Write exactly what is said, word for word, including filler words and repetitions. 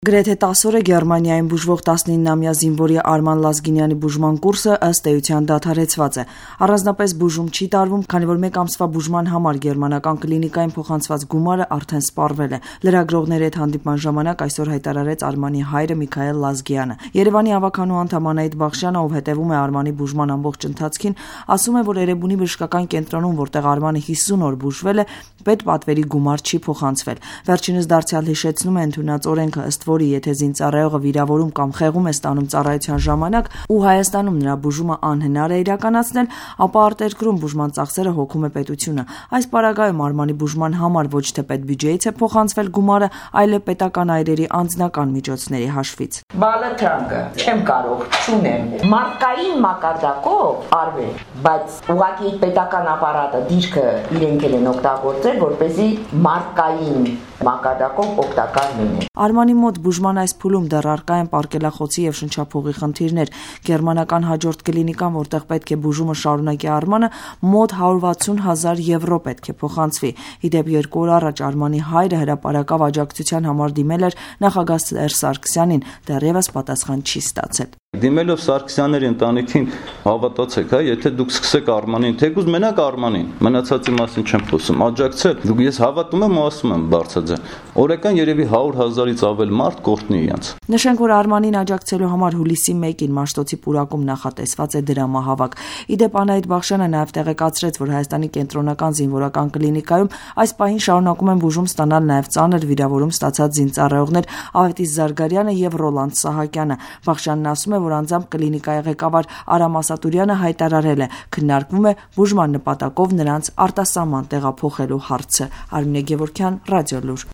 Գրեթե տասը օր է Գերմանիայում բուժվող տասնիննամյա զինվորի Արման Լազգինյանի բուժման կուրսը ըստ էության դադարեցված է։ Առանձնապես բուժում չի տարվում, քանի որ մեկ ամսվա բուժման համար գերմանական կլինիկային փոխանցված գումարը արդեն սպառվել է։ Լրագրողների հետ հանդիպման ժամանակ այսօր հայտարարեց Արմանի հայրը Միքայել Լազգյանը։ Երևանի ավականու անդամ Անահիտ Բախշյանը, ով հետևում է Արմանի բուժման ամբողջ ընթացքին, ասում է, որ Էրեբունի բժշկական կենտրոնում, որտեղ Արմանը հիսուն օր բուժվել է, պետպատվերի գումար չի փոխանցվել։ Վերջինս դարձյալ հիշեցնում է ընդունած օրենքը, ըստ որի եթե զինծառայողը վիրավորում կամ խեղում է ստանում ծառայության ժամանակ ու Հայաստանում նրա բուժումը անհնար է իրականացնել, ապա արտերկրում բուժման ծախսերը հոգում է պետությունը։ Այս պարագայում Արմանի բուժման համար ոչ թե պետբյուջեից է փոխանցվել գումարը, այլ պետական այրերի անձնական միջոցների հաշվից։ Բալաթրանկը չեմ կարող, չունեմ։ Մարկային մակարդակով արվել, բայց ուղղակի պետական ապարատը դիրքը իրենք են օգտագործել, որպեսզի մարկային մակարդակով օգտակար լինի։ Արմանի մոտ բուժման այս փուլում դեռ առկա են պարկելախոցի եւ շնչափուղի խնդիրներ։ Գերմանական հաջորդ կլինիկան, որտեղ պետք է բուժումը շարունակի Արմանը, մոտ հարյուր վաթսուն հազար եվրո պետք է փոխանցվի։ Իդեպ երկու օր առաջ Արմանի հայրը հրապարակավ աջակցության համար դիմել էր նախագահ Սերժ Սարգսյանին, դեռևս պատասխան չի ստացել։ Դիմելով Սարգսյանների ընտանիքին հավատացեք, հա, եթե դուք սկսեք Արմանին, թեկուզ մենակ Արմանին, մնացածի մասին չեմ խոսում, աջակցել, դուք ես հավատում եմ ու ասում եմ բարձրաձայն, օրական երևի հարյուր հազարից ավել մարդ կորտնի իրենց։ Նշենք, որ Արմանին աջակցելու համար հուլիսի մեկին Մաշտոցի պուրակում նախատեսված է դրամահավաք։ Իդեպ Անահիտ Բախշյանը նաև տեղեկացրեց, որ Հայաստանի կենտրոնական զինվորական կլինիկայում այս պահին շարունակում են բուժում ստանալ նաև ծանր վիրավորում ստացած զինծառայողներ Ավետիս Զարգարյանը եւ Ռոլանդ Սահակյանը։ Բախշյանն ասում է, որ անձամբ կլինիկայի ղեկավար Արամ Ասատուրյանը հայտարարել է, քննարկվում է բուժման նպատակով նրանց արտասահման տեղափոխելու հարցը։ Արմինե Գևորգյան, Ռադիոլուր։